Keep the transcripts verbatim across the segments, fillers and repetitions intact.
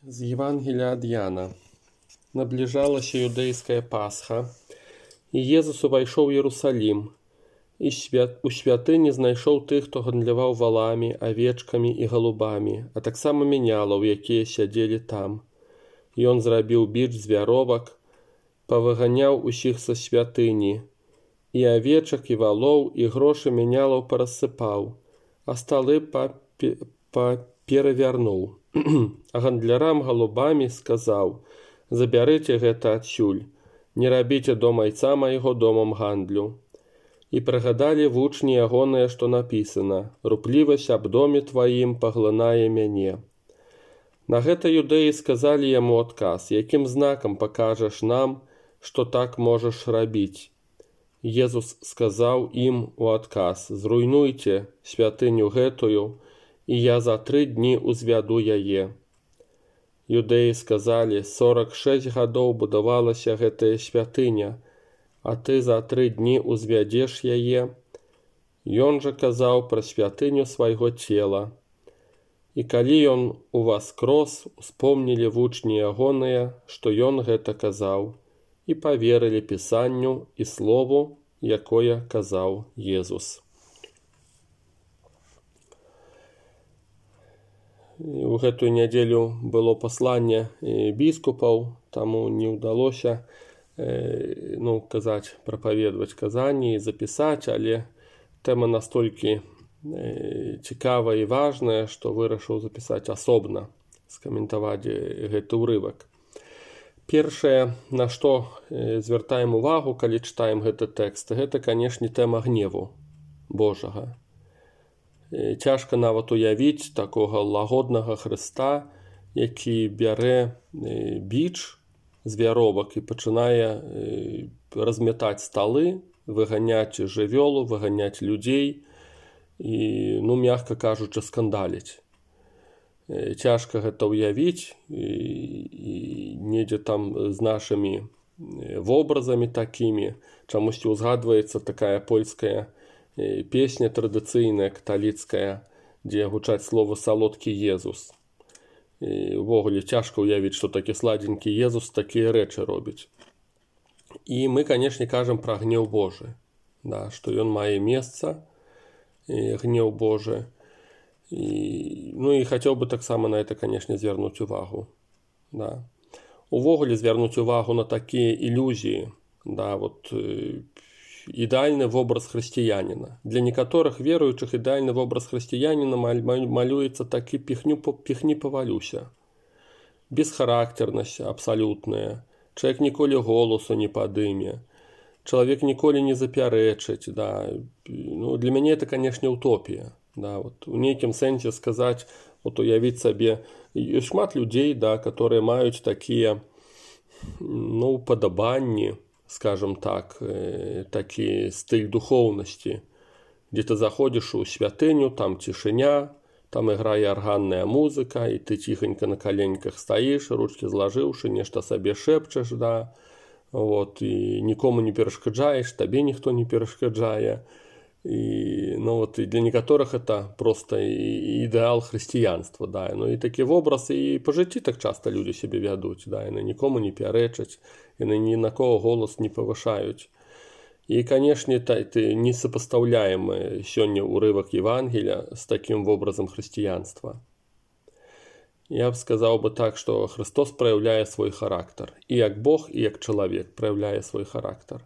З Євангелія ад Яна. Набліжалася юдэйская Пасха, і Езус увайшоў у Єрусалім, і у святыні знайшоў тых, хто гандляваў валамі, авечкамі і галубамі, а таксама менялаў, якія сядзелі там. Ён зрабіў біч з вяровак, павыганяў усіх са святыні, і авечак, і валоў, і грошы менялаў парасыпаў, а сталы паперавярнуў. А гандлярам галубамі сказаў: «Забярыце гэта адсюль, не рабіце дом айца майго домам гандлю». І прыгадалі вучні ягоныя, што напісана: «Руплівасць аб доме тваім паглынае мяне». На гэта юдэі сказалі яму адказ: «Якім знакам пакажаш нам, што так можаш рабіць?» Езус сказаў ім у адказ: «Зруйнуйце святыню гэтую, і я за тры дні узвяду яе». Юдэі сказалі: «Сорак шэсць гадоў будавалася гэтая святыня, а ты за тры дні узвядзеш яе». Ён жа казаў пра святыню свайго цела. І калі ён уваскрос, успомнілі вучні ягоныя, што ён гэта казаў, і паверылі пісанню і слову, якое казаў Езус. У гэтую нядзелю было пасланне біскупаў, таму не ўдалося ну, казаць, прапаведваць казанні і запісаць, але тэма настолькі цікавая і важная, што вырашыў запісаць асобна, скаментаваць гэты ўрывак. Першае, на што звяртаем увагу, калі чытаем гэты тэкст, гэта, канешне, тэма гневу Божага. Цяжка нават уявіць такога лагоднага Хрыста, які бярэ біч з вяровак і пачынае размятаць сталы, выганяць жывёлу, выганяць людзей і, ну, мякка кажучы, скандаліць. Цяжка гэта ўявіць, і недзе там з нашымі вобразамі такімі. Чамусьці ўзгадваецца такая польская песня традыцыйная, каталіцкая, дзе гучаць словы «салодкі Езус». І увогуле цяжка ўявіць, што такі сладзенькі Езус такія рэчы робіць. І мы, канешне, кажам пра гнеў Божы, да, што ён мае месца, гнеў Божы. І, ну і хацеў бы таксама на это, канешне, звярнуць увагу. Да. Увогуле звярнуць увагу на такія ілюзіі, да, вот, ідэальны вобраз хрысціяніна. Для некаторых веруючых ідэальны вобраз хрысціяніна малюецца такі піхню, піхні павалюся. Бесхарактарнасць абсалютная. Чалавек ніколі голасу не падыме. Чалавек ніколі не запярэчыць. Да. Ну, для мяне это, канешне, утопія. Да, вот, у нейкім сэнсе сказаць, вот, уявіць сабе, ёсць шмат людзей, да, которые маюць такія, ну, падабанні, скажем так, э, такі стыль духоўнасці, дзе ты заходзіш у святыню, там цішыня, там іграе арганная музыка, і ты ціхенька на каленьках стаіш, ручкі злажыўшы, нешта сабе шэпчаш, да, вот, і нікому не перашкаджаеш, табе ніхто не перашкаджае. І, ну, вот, і для некаторых это просто ідэал хрысціянства, да, ну і такі вобраз і па жыцці так часта людзі сябе вядуць, да, яны нікому не пярэчаць, яны ні на кого голас не павышаюць. І, канешне, ты не супастаўляем сёння ўрывак Евангелія з такім вобразам хрысціянства. Я б сказаў бы так, што Христос праяўляе свой характар, і як Бог, і як чалавек праяўляе свой характар.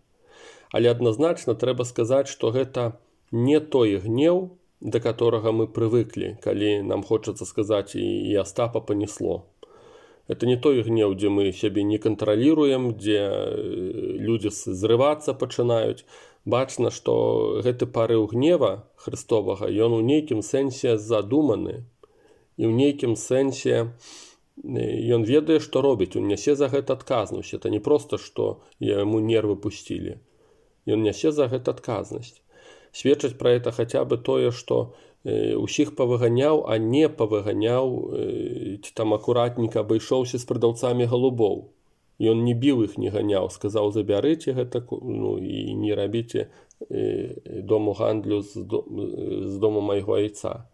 Але адназначна трэба сказаць, што гэта не той гнеў, да которага мы прывыклі, калі нам хочацца сказаць, і Астапа панесло. Это не той гнеў, дзе мы сябе не кантраліруем, дзе людзі зрывацца пачынаюць. Бачна, што гэты парыў гнева Хрыстовага, ён у нейкім сэнсе задуманы, і ў нейкім сэнсе ён ведае, што робіць, ён нясе за гэта адказнасць. Это не проста, што яму нервы пусцілі. Ён нясе за гэта адказнасць. Сведчыць пра гэта хаця бы тое, што усіх павыганяў, а не павыганяў, ці там акуратненька абышоўся з прадаўцамі галубоў. Ён не біў іх, не ганяў, сказаў: «Забярыце гэта, ну, і не рабіце дому гандлю з дому майго айца».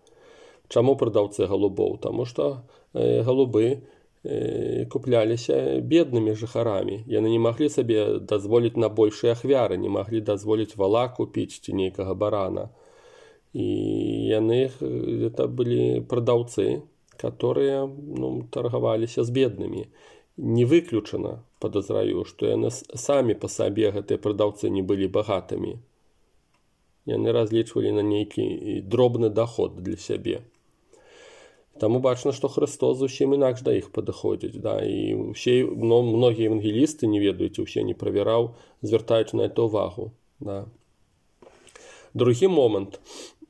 Чаму прадаўцы галубоў? Таму што галубы купляліся беднымі жыхарамі. Яны не маглі сабе дазволіць на большыя ахвяры, не маглі дазволіць вала купіць ці нейкага барана. І яны это былі прадаўцы, которые ну, таргаваліся з беднымі. Не выключана, подозраю, што яны самі па сабе гэтыя прадаўцы не былі багатымі. Яны разлічвалі на нейкі дробны доход для сябе. Таму бачна, што Христос зусім інакш да іх падыходзіць. Да? І ўсе, ну, многія евангелісты, не ведаеце, усе не правяраў, звяртаюць на это ўвагу. Да? Другі момант,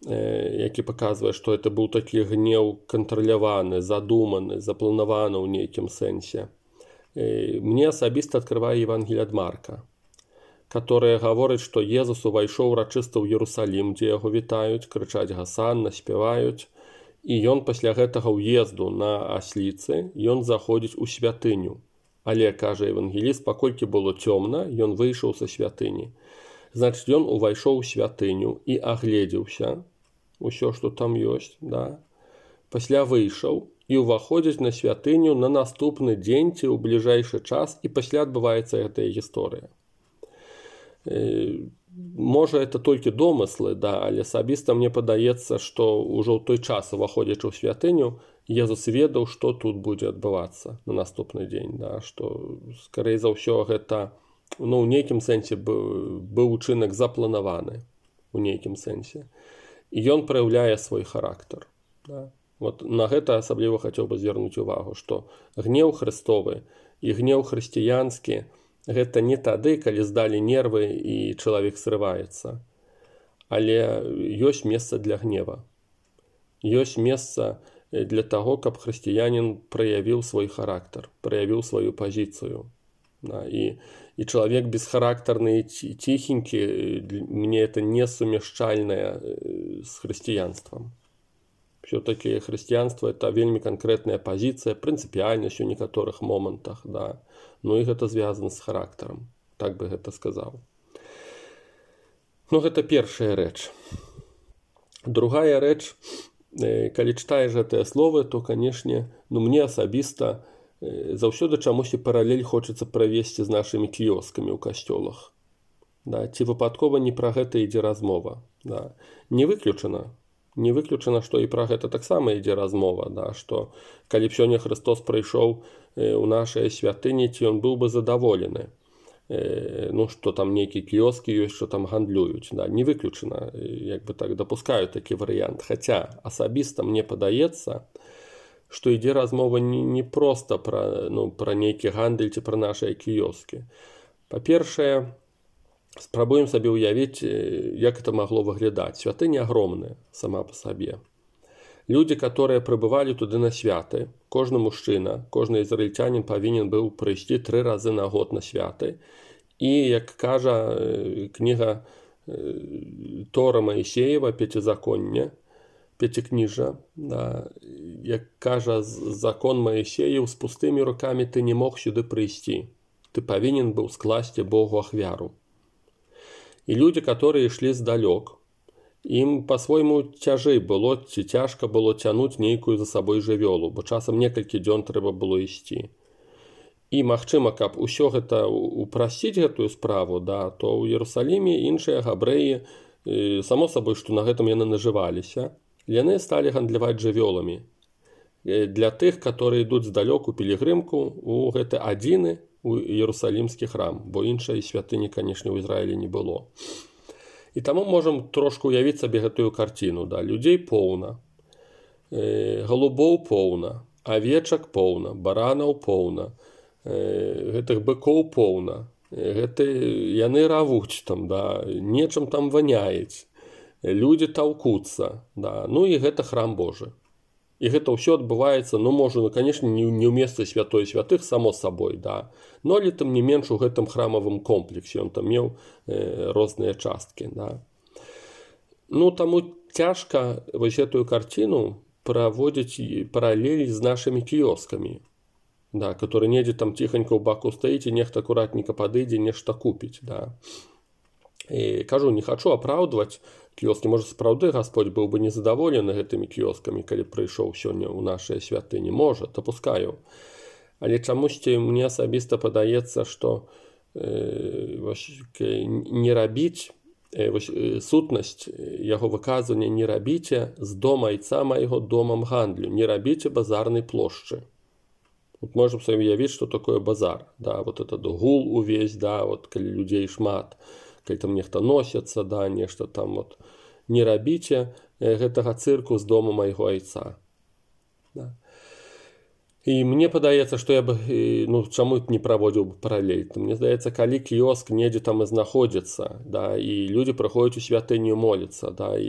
э, які паказвае, што это быў такі гнеў кантраляваны, задуманы, запланаваны ў нейкім сэнсе. Э, мне асабіста адкрывае Евангелие ад Марка, которая гаворыць, што Езус увайшоў урачыста ў Єрусалім, дзе яго вітаюць, крычаць гасанна, спяваюць. І ён пасля гэтага ўезду на асліцы, ён заходзіць у святыню. Але, кажа евангеліст, паколькі было цёмна, ён выйшаў са святыні. Значыць, ён увайшоў у святыню і агледзеўся, усё, што там ёсць, да? Пасля выйшаў і ўваходзіць на святыню на наступны дзень ці ў бліжэйшы час, і пасля адбываецца гэтая гісторыя. Можа, это толькі домыслы, да, але асабіста мне падаецца, што ўжо ў той час, уваходзячы ў святыню, Езус ведаў, што тут будзе адбывацца на наступны дзень, да, што, скорей за ўсё, гэта, ну, ў нейкім сэнсе быў учынак запланаваны, у нейкім сэнсе. І ён праяўляе свой характар. Да. Вот на гэта асабліва хацеў бы звярнуць увагу, што гнеў Христовы і гнеў хрысціянскі гэта не тады, калі здалі нервы і чалавек срываецца. Але ёсць месца для гнева. Ёсць месца для таго, каб хрысціянін праявіў свой характар, праявіў сваю пазіцыю. Да, і, і чалавек бесхарактарны і ціхенькі, мне это не сумяшчальнае з хрысціянствам. Все-таки хрысціянство это вельмі канкрэтная пазіцыя, прынцыпіяльнасць у некаторых момантах, да. Ну і гэта звязана з характарам, так бы гэта сказаў. Ну, гэта першая рэч. Другая рэч, калі чытаеш гэтыя словы, то, канешне, ну, мне асабіста заўсёды чамусьці паралель хочацца правесці з нашымі кіёскамі ў касцёлах. Да, ці выпадкова не пра гэта ідзе размова. Да. Не выключана. Не выключана, што і пра гэта таксама ідзе размова, да, што калі б сёння Христос прыйшоў у нашай святыні, ці ён быў бы задаволены. Ну, што там нейкі кіёскі ёсць, што там гандлююць. Да, не выключана, як бы так дапускаю такі варыянт. Хаця асабіста мне падаецца, што ідзе размова не, не проста пра, ну, пра нейкі гандаль ці пра нашыя кіёскі. Па-першае, спрабуем сабе ўявіць, як это магло выглядаць. Святыня агромная сама па сабе. Людзі, которые прыбывалі туды на святы, кожны мужчына, кожны ізраільцянін павінен быў прыйсці тры разы на год на святы. І, як кажа кніга Тора Маісеева, Пяцізаконне, Пяцікніжжа, да, як кажа закон Маісеев, з пустымі рукамі ты не мог сюды прыйсці. Ты павінен быў скласці Богу ахвяру. І людзі, которые ішлі здалёк, ім па-свойму цяжэй было, ці цяжка было цянуць нейкую за сабой жывёлу, бо часам некалькі дзён трэба было ісці. І, магчыма, каб усё гэта упрасціць гэтую справу, да, то ў Єрусаліме іншыя габрэі, само сабой, што на гэтым яны нажываліся, яны сталі гандляваць жывёламі. Для тых, которые ідуць здалёк у пілігрымку, у гэты адзіны у Єрусалімскі храм, бо іншай святыні, канешне, ў Ізраілі не было. І таму можам трошку уявіць сабе гэтую карціну. Да? Людзей поўна, э, голубоў поўна, авечак поўна, баранаў поўна, э, гэтых быкоў поўна. Гэты, яны равуць там, да? Нечым там ваняюць, людзі таўкуцца. Да? Ну і гэта храм Божы. І гэта ўсё адбываецца, ну, можа, ну, канешне, не, не ў месцы святой святых, само сабой, да. Но, але там не менш у гэтым храмавым комплексе, ён там меў э, розныя часткі, да. Ну, таму цяжка вось гэтую карціну праводзіць паралелі з нашымі кіёскамі, да, которые недзе там ціханька ў баку стаіць, і нехта акуратненька падыдзе, нешта купіць, да. І кажу, не хачу апраўдваць кіёскі, можа, сапраўды Гасподзь быў бы незадаволены гэтымі кіёскамі, калі прыйшоў сёння ў нашай святыні, можа, дапускаю. Але чамусьці мне асабіста падаецца, што э, не рабіць, э, вось, э, сутнасць яго выказвання не рабіце з дома айца майго домам гандлю, не рабіце базарнай плошчы. Вот можем себе уявить, что такое базар, да, вот этот гул увесь, да, вот коли людей шмат, коли там нехто носится, да, нешта там вот, не рабіце гэтага цырку з дома майго айца. Да. І мне падаецца, што я бы, ну, чаму не праводзіў бы паралель. Мне здаецца, калі кіёск недзе там і знаходзіцца, да, і людзі прыходзяць у святыню моліцца, да, і,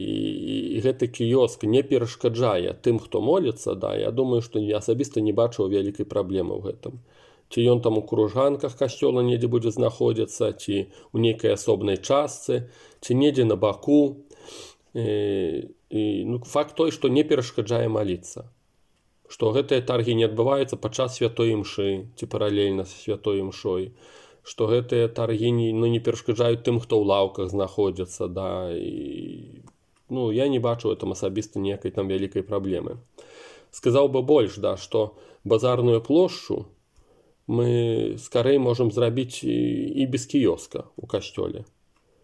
і гэты кіёск не перашкаджае тым, хто моліцца, да, я думаю, што я асабіста не бачу вялікай праблемы ў гэтым. Ці ён там у кружганках касцёла недзе будзе знаходзіцца, ці ў нейкай асобнай частцы, ці недзе на баку. І, і, ну, факт той, што не перашкаджае маліцца. Што гэтыя таргі не адбываюцца падчас святой імшы ці паралельна з святой імшой, што гэтыя таргі не, ну, не перашкаджаюць тым, хто ў лаўках знаходзіцца, да, і, ну, я не бачу ў этом асабіста ніякай там вялікай праблемы. Сказаў бы больш, да, што базарную плошчу мы скарэй можам зрабіць і, і без кіёска ў касцёле.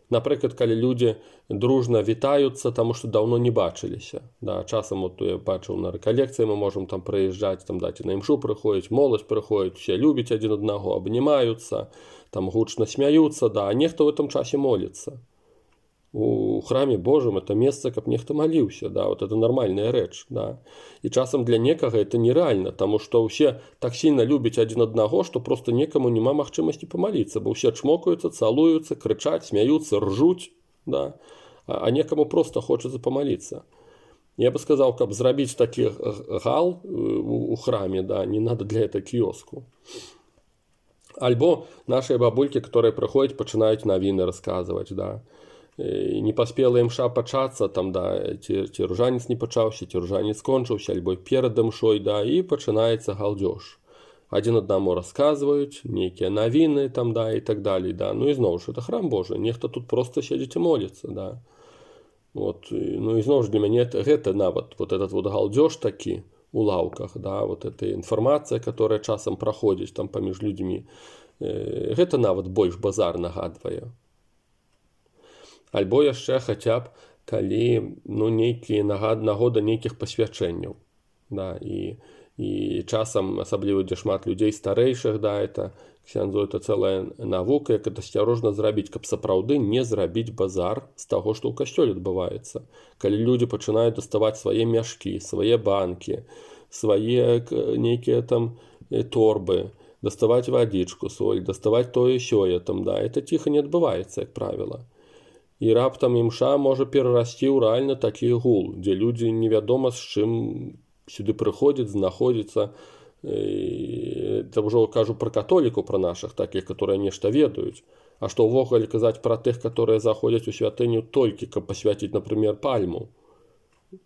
Напрыклад, калі людзі дружна вітаюцца, таму што даўно не бачыліся. Да, часам вот, я бачыў на рэкалекцыі, мы можам там прыязджаць, там даць на імшу прыходзіць, моладзь прыходзіць, усе любяць адзін аднаго, абнімаюцца, там гучна смяюцца, да, а нехта ў гэтым часе моліцца. У храме Божым это месца, каб нехта маліўся, да, вот это нармальная рэч, да. І часам для некага это нереальна, таму што ўсе так сильна любяць адзін аднаго, што проста некаму няма магчымасці памаліцца, бо ўсе чмокаюцца, цалуюцца, крычаць, смяюцца, ржуць, да, а, а некаму проста хочацца памаліцца. Я бы сказаў, каб зрабіць такі гал у, у храме, да, не надо для этого кіёску. Альбо нашыя бабулькі, которые прыходзяць, пачынаюць навіны расказваць, да. Не паспела імша пачацца, там, да, ці, ці ружанец не пачаўся, ці ружанец скончыўся, альбо перад імшой, да, і пачынаецца галдзёж. Адзін аднаму расказваюць, нейкія навіны, там, да, і так далей, да. Ну і зноў ж, это храм Божы, нехта тут проста сядзіць і моліцца, да. Вот, ну і зноў ж для мяне гэта нават, вот этот вот галдзёж такі у лаўках, да, вот эта інфармацыя, которая часам праходзіць там паміж людзьмі, гэта нават больш базар нагадвае. Альбо яшчэ хаця б, калі, ну, нейкія нагода нейкіх пасвячэнняў, да, і, і часам, асабліва, дзе шмат людзей старэйшых, да, это, ксяндзу, это цэлая навука, як это асцярожна зрабіць, каб сапраўды не зрабіць базар з таго, што ў касцёле адбываецца. Калі людзі пачынаюць даставаць свае мяшкі, свае банкі, свае нейкія там торбы, даставаць вадзічку, соль, даставаць тое сёе, там, да, это ціха не адбываецца, як правіла. І раптам імша можа перарасці ў рэальна такі гул, дзе людзі невядома з чым сюды прыходзяць, знаходзяцца. Это ўжо кажу пра католікаў, пра нашых такіх, которые нешта ведаюць. А што ўвогуле казаць пра тых, которые заходзяць у святыню толькі, каб пасвяціць, напрыклад, пальму.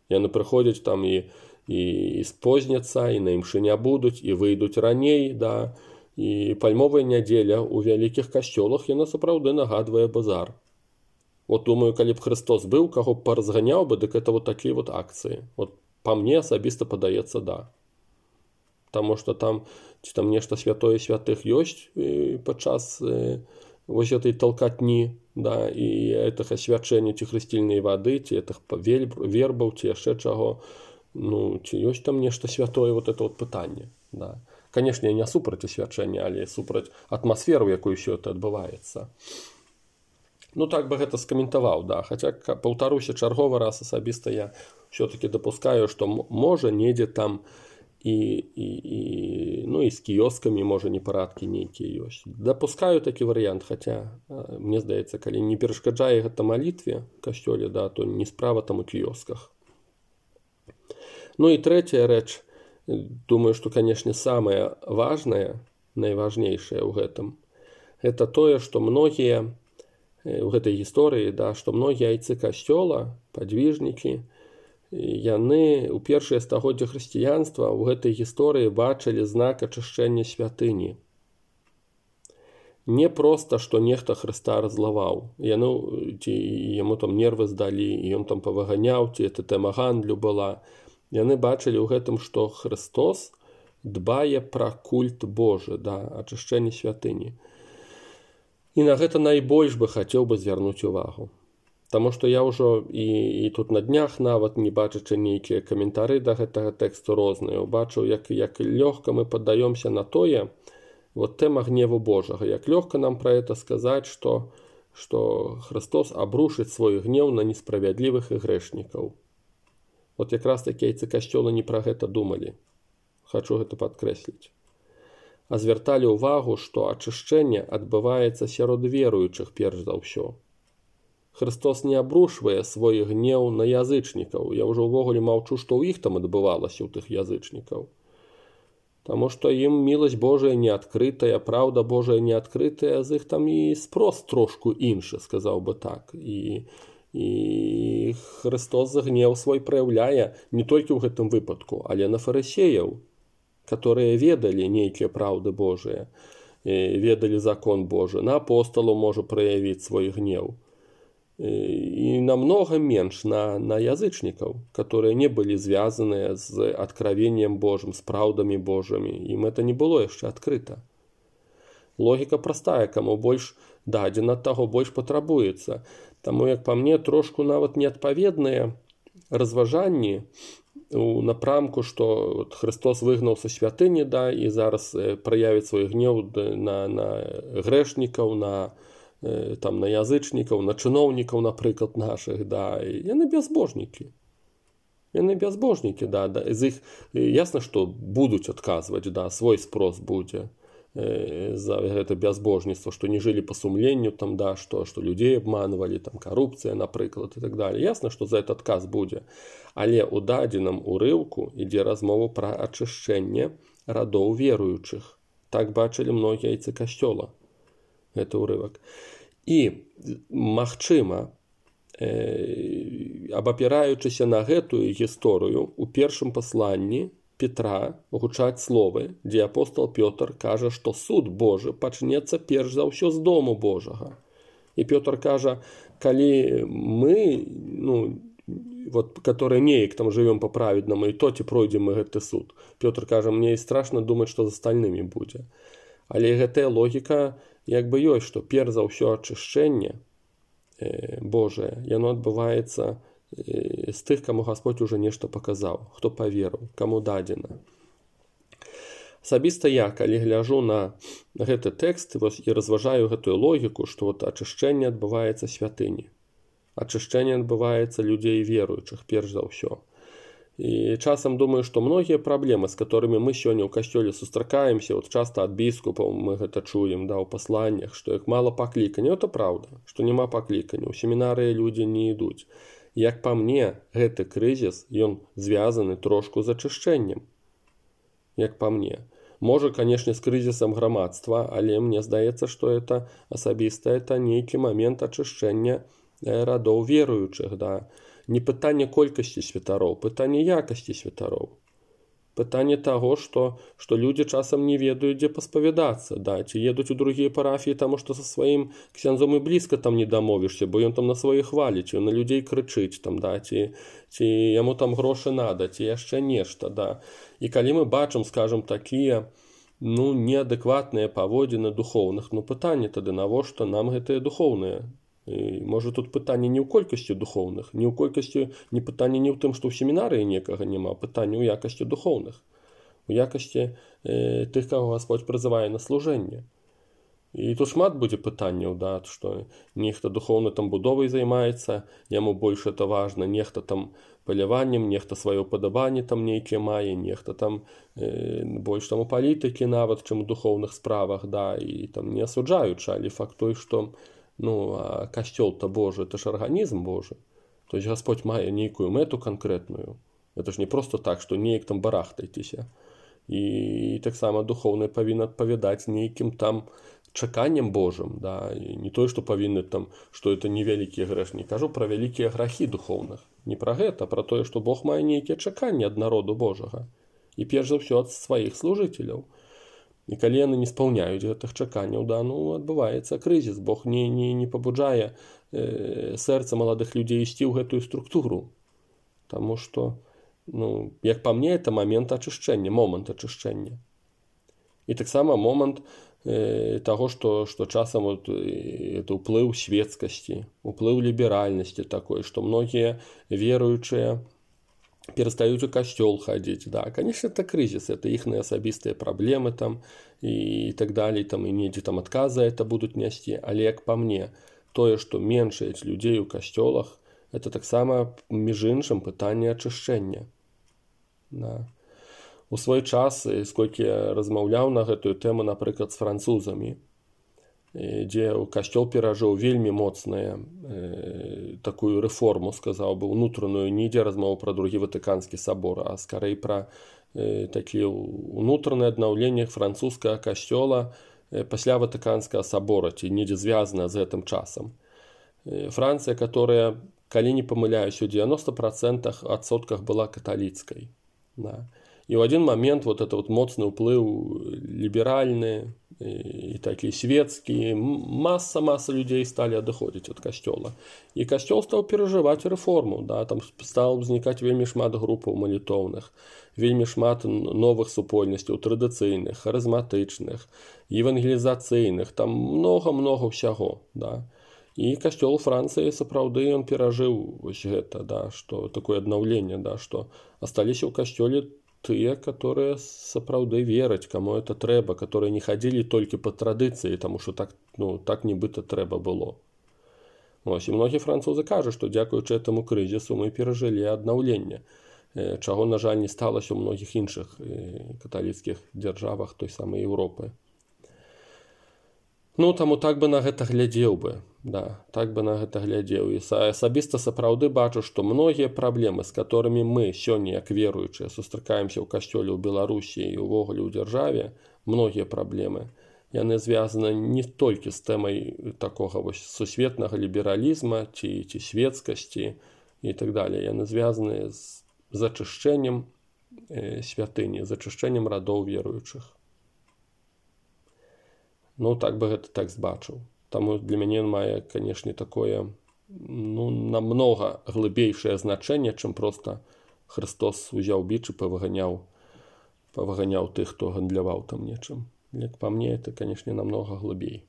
Яны прыходзяць там і, і, і спозняцца, і на імшы не будуць, і выйдуць раней, да. І пальмовая нядзеля ў вялікіх касцёлах, яна сапраўды нагадвае базар. Вот думаю, калі б Христос быў, каго б паразганяў бы, дык это вот такія вот акцыі. Вот па мне асабіста падаецца, да. Таму што там, ці там нешта святое святых ёсць падчас э, вось этой толкатні, да, і гэтага свячэння ці хрысцільнай вады, ці гэтых вербаў, ці яшчэ чаго. Ну, ці ёсць там нешта святое, вот это вот пытанне, да. Канешне, я не супраць свячэння, але супраць атмасферу, якую ўсё это адбываецца. Ну, так бы гэта скаментаваў, да. Хаця, паўтаруся чарговы раз, асабіста я ўсё-такі дапускаю, што можа недзе там і, і, і, ну, і з кіёскамі, можа, непарадкі нейкія ёсць. Дапускаю такі варыянт, хаця, мне здаецца, калі не перашкаджае гэта малітве ў касцёле, да, то не справа там у кіёсках. Ну і трэцяя рэч, думаю, што, канешне, самае важнае, найважнейшае ў гэтым, гэта тое, што многія у гэтай гісторыі, да, што многія айцы касцёла, падвіжнікі, яны ў першыя стагоддзя хрысціянства ў гэтай гісторыі бачылі знак ачышчэння святыні. Не проста, што нехта Хрыста раззлаваў, яны, ці яму там нервы здалі, і ён там павыганяў, ці это тэма гандлю была. Яны бачылі ў гэтым, што Христос дбае пра культ Божы, да, ачышчэнне святыні. І на гэта найбольш бы хацеў бы звярнуць увагу. Таму што я ўжо і, і тут на днях нават, не бачачы нейкія каментары да гэтага тэксту розныя, убачыў, як, як лёгка мы паддаёмся на тое, вот тэма гневу Божага, як лёгка нам пра гэта сказаць, што, што Христос абрушыць свой гнеў на несправядлівых і грэшнікаў. Вот якраз такі яйцы касцёла не пра гэта думалі. Хачу гэта падкрэсліць. А звярталі ўвагу, што ачышчэнне адбываецца сярод веруючых перш за ўсё. Христос не абрушвае свой гнеў на язычнікаў. Я ўжо ўвогуле маўчу, што ў іх там адбывалася, у тых язычнікаў. Таму што ім міласць Божая не адкрытая, праўда Божая не адкрытая, з іх там і спрос трошку іншы, сказаў бы так. І, і Христос за гнеў свой праяўляе не толькі ў гэтым выпадку, але на фарысеяў, которые ведалі нейкія праўды Божыя, ведалі закон Божы. На апосталу можа праявіць свой гнеў. І намного менш на, на язычнікаў, которые не былі звязаныя з адкравеннем Божым, з праўдамі Божымі. Ім это не было яшчэ адкрыта. Логіка простая, каму больш дадзена, таго больш патрабуецца. Таму, як па мне, трошку нават неадпаведныя разважанні у напрамку, што вот, Христос выгнаў са святыні, да, і зараз э, праявіць свой гнеў на, на грэшнікаў, на там на язычнікаў, на чыноўнікаў, напрыклад, нашых, да, і яны бязбожнікі. Яны бязбожнікі, да, да, з іх ясна, што будуць адказваць, да, свой спрос будзе э, за гэта бязбожніцтва, што не жылі па сумленню, там, да, што, што людзей абманвалі, там, карупцыя, напрыклад, і так далее. Ясна, што за этот адказ будзе. Але ў дадзеным урыўку ідзе размова пра ачышчэнне радоў веруючых. Так бачылі многія яйцы касцёла. Гэта ўрывак. І, магчыма, э, абапіраючыся на гэтую гісторыю, у першым пасланні Петра гучаць словы, дзе апостол Пётр кажа, што суд Божы пачнецца перш за ўсё з дому Божага. І Пётр кажа, калі мы, ну, вот, которые неяк там жывём па-праведнаму, і то ці пройдзем мы гэты суд. Пётр кажа, мне і страшна думаць, што з астальнымі будзе. Але гэтая логіка як бы ёсць, што перш за ўсё ачышчэнне э, Божае, яно адбываецца э, з тых, каму Гасподзь уже нешта паказаў, хто паверыў, каму дадзена. Асабіста я, калі гляжу на гэты тэкст вось, і разважаю гэтую логіку, што вот, ачышчэнне адбываецца святыні. Ачышчэнне адбываецца людзей веруючых, перш за ўсё. І часам думаю, што многія праблемы, з которымі мы сёння ў касцёле сустракаемся, вот часта ад біскупаў мы гэта чуем, да, ў пасланнях, што як мала паклікання, это праўда, што няма паклікання, у семінарыі людзі не ідуць. Як па мне, гэты крызіс, ён звязаны трошку з ачышчэннем. Як па мне. Можа, канешне, з крызісам грамадства, але мне здаецца, што это асабіста, это нейкі момент ачышчэння радоў веруючых, да. Не пытанне колькасці святароў, пытанне якасці святароў. Пытанне таго, што, што людзі часам не ведаюць, дзе паспавядацца, да, ці едуць у другія парафіі, таму што са сваім ксяндзом і блізка там не дамовішся, бо ён там на сваіх хваліць, ён на людзей крычыць, там, да, ці, ці яму там грошы нада, ці яшчэ нешта, да. І калі мы бачым, скажам, такія, ну, неадэкватныя паводзіны духоўных, ну, пытанне тады, навошта нам гэтыя духоўныя? І, можа, тут пытанне не ў колькасці духоўных, не ў колькасці, не пытанне не ў тым, што ў семінарыі некага няма, пытанне ў якасці духоўных, у якасці э, тых, каго Гасподзь прызывае на служэнне. І тут шмат будзе пытанняў, да, што нехта духоўна там будовай займаецца, яму больш это важна, нехта там паляваннем, нехта сваё падабанне там нейкія мае, нехта там э, больш там у палітыкі нават, чым у духоўных справах, да, і там не асуджаючы, але факт той, што ну, а касцёл-то Божы, это ж арганізм Божы. То есть Гасподзь мае нейкую мэту канкрэтную. Это ж не просто так, што неяк там барахтайцеся. І таксама духоўнае павінна адпавядаць нейкім там чаканням Божым, да, і не тое, што павінны там, што это невялікія грэшні. Кажу пра вялікія грахі духоўных. Не пра гэта, а пра тое, што Бог мае нейкія чаканні ад народу Божага. І перш за ўсё ад сваіх служыцеляў. І калі яны не спаўняюць гэтых чаканняў, да, ну, адбываецца крызіс. Бог не, не, не пабуджае э, сэрца маладых людзей ісці ў гэтую структуру. Таму што Ну, як па мне, это момент ачышчэння, момант ачышчэння. І таксама момант э, таго, што, што часам вот, э, это ўплыў светскасці, ўплыў ліберальнасці такой, што многія веруючыя перастаюць у касцёл хадзіць. Да, конечно, это крызіс, это іхныя асабістыя праблемы там і так далей, там, і недзе там адказы это будуць нясці. Але як па мне, тое, што меншаюць людзей у касцёлах, это таксама, між іншым, пытанне ачышчэння. Да. У свой час, сколькі я размаўляў на гэтую тэму, напрыклад, з французамі, дзе касцёл перажыў вельмі моцная э, такую рэформу, сказаў бы, унутраную, не ідзе размова пра другі Ватыканскі сабор, а скарэй пра э, такі унутранае аднаўленне французскага касцёла э, пасля Ватыканскага сабора, ці недзе звязана з гэтым часам. Э, Францыя, которая, калі не памыляюсь, у девяноста процентах адсотках была каталіцкай. Да. І ў адзін момент вот это вот моцны ўплыў ліберальны і такі светскі, маса-маса людзей сталі адыходзіць ад касцёла. І касцёл стаў перажываць рэформу, да, там стаў узнікаць вельмі шмат групаў малітоўных, вельмі шмат новых супольнасцяў, традыцыйных, харызматычных, евангелізацыйных, там многа-многа ўсяго, да. І касцёл Францыі сапраўды ён перажыў вось гэта, да, што такое аднаўленне, да, што асталіся ў касцёле тыя, которые сапраўды вераць, каму это трэба, которые не хадзілі толькі па традыцыі, таму што так, ну, так нібыта трэба было. Вось, і многія французы кажуць, што дзякуючы этаму крызісу мы перажылі аднаўленне, чаго, на жаль, не сталася ў многіх іншых каталіцкіх дзяржавах той самай Еўропы. Ну, таму так бы на гэта глядзеў бы, да, так бы на гэта глядзеў. І асабіста сапраўды бачу, што многія праблемы, з которымі мы сёння, як веруючыя, сустракаемся ў касцёле ў Беларусі і ўвогуле ў дзяржаве, многія праблемы, яны звязаны не толькі з тэмай такога вось сусветнага лібералізма ці, ці светскасці і так далее. Яны звязаны з зачышчэннем э, святыні, зачышчэннем радоў веруючых. Ну, так бы гэта так збачыў. Таму для мяне мае, канешне, такое, ну, намнога глыбейшае значэнне, чым проста Христос узяў біч і павыганяў, павыганяў тых, хто гандляваў там нечым. Як па мне, это, канешне, намнога глыбей.